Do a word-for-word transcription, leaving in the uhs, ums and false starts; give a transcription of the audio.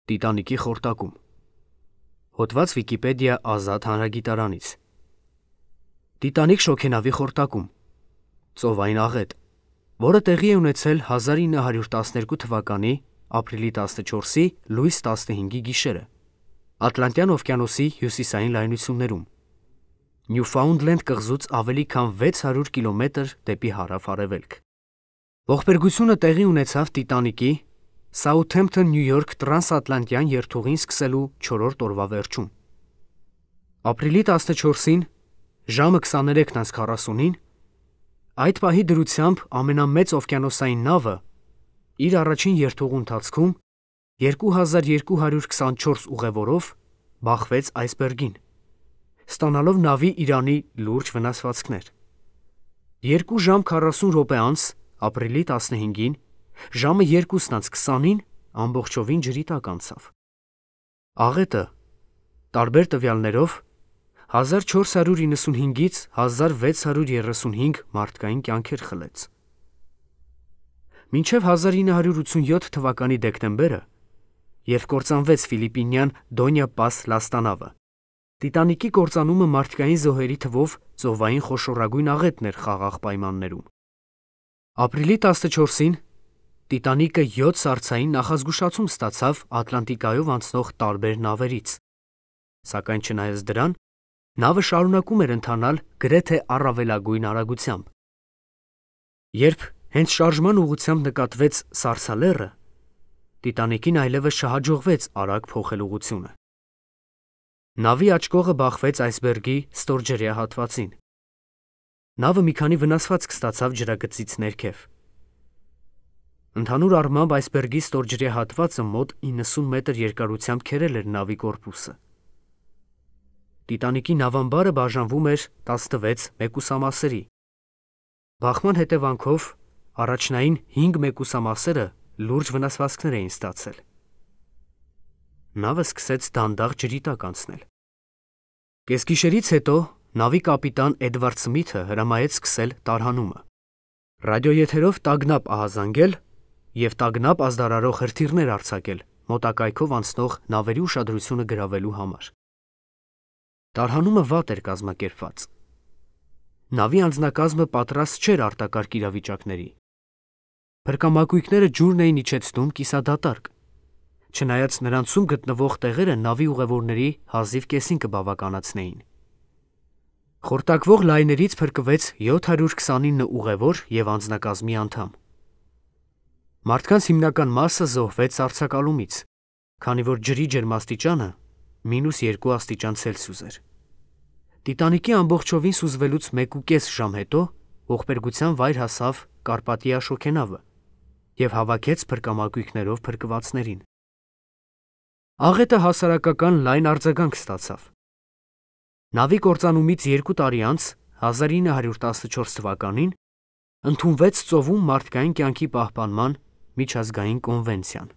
Տիտանիկի խորտակում։ Հոդված Վիկիպեդիա ազատ հանրագիտարանից։ Տիտանիկ շոգենավի խորտակում։ Ծովային աղետ, որը տեղի է ունեցել հազար ինը հարյուր տասներկու թվականի ապրիլի տասնչորսի լույս տասնհինգի գիշերը Ատլանտյան օվկիանոսի հյուսիսային լայնություններում, Նյուֆաունդլենդ կղզուց ավելի քան վեց հարյուր կիլոմետր դեպի հարավ-արևելք։ Ողբերգությունը տեղի ունեցավ Տիտանիկի Սաութհեմփթոն Նյու Յորք տրանսատլանտյան երթուղին սկսելու չորրորդ օրվա վերջում։ Ապրիլի տասնչորսին ժամը քսաներեքն անց քառասունին այդ պահի դրությամբ ամենամեծ օվկիանոսային նավը իր առաջին երթուղու ընթացքում երկու հազար երկու հարյուր քսանչորս ուղևորով բախվեց այսբերգին, ստանալով նավի իրանի լուրջ վնասվածքներ։ Երկու ժամ քառասուն րոպե անց ապրիլի տասնհինգին ժամը երկուսն անց քսանին ամբողջովին ջրի տակ անցավ։ Աղետը տարբեր տվյալներով հազար չորս հարյուր իննսունհինգից հազար վեց հարյուր երեսունհինգ մարդկային կյանքեր խլեց։ Մինչև հազար ինը հարյուր ութսունյոթ թվականի դեկտեմբերը, երբ կործանվեց ֆիլիպինյան Դոնյա Պաս լաստանավը, Տիտանիկի կործանումը մարդկային զոհերի թվով ծովային խոշորագույն աղետն էր խաղաղ պայմաններում։ Ապրիլի տասնչորսին Տիտանիկը յոթ սառցային նախազգուշացում ստացավ Ատլանտիկայով անցնող տարբեր նավերից, սակայն չնայած դրան, նավը շարունակում էր ընթանալ գրեթե առավելագույն արագությամբ։ Երբ հենց շարժման ուղղությամբ նկատվեց սառցալեռը, Տիտանիկին այլևս չհաջողվեց արագ փոխել ուղղությունը։ Նավի աջ կողը բախվեց այսբերգի ստորջրյա հատվածին։ Նավը մի քանի վնասվածք ստացավ ջրագծից ներքև։ Ընդհանուր առմամբ այսբերգի ստորջրյա հատվածը մոտ իննսուն մետր երկարությամբ քերել էր նավի կորպուսը։ Տիտանիկի նավամբարը բաժանվում էր տասնվեց մեկուսամասերի։ Բախման հետևանքով առաջնային հինգ մեկուսամասերը լուրջ վնասվածքներ էին ստացել։ Նավը սկսեց դանդաղ ջրի տակ անցնել։ Կեսգիշերից հետո նավի կապիտան Էդվարդ Սմիթը հրամայեց սկսել տարհանումը, ռադիոեթերով տագնապ ահազանգել և տագնապ ազդարարող հրթիռներ արձակել մոտակայքով անցնող նավերի ուշադրությունը գրավելու համար։ Տարհանումը վատ էր կազմակերպված։ Նավի անձնակազմը պատրաստ չէր արտակարգ իրավիճակների։ Փրկամակույկները ջուրն էին իջեցնում կիսադատարկ, չնայած նրանցում գտնվող տեղերը նավի ուղևորների հազիվ կեսին կբավականացնեին։ Խորտակվող լայներից փրկվեց յոթ հարյուր քսանինը ուղևոր և անձնակազմի անդամ։ Մարդկանց հիմնական մասը զոհվեց արձակալումից, քանի որ ջրի ջերմաստիճանը մինուս երկու աստիճան Ցելսիուս էր։ Տիտանիկի ամբողջովին սուզվելուց մեկուկես ժամ հետո ողբերգության վայր հասավ Կարպատիա շոգենավը և հավաքեց փրկամակույկներով փրկվածներին։ Աղետը հասարակական լայն արձագանք ստացավ։ Նավի կործանումից երկու տարի անց հազար ինը հարյուր տասնչորս թվականին ընդունվեց ծովում մարդկային կյանքի պահպանման միջազգային կոնվենցիան։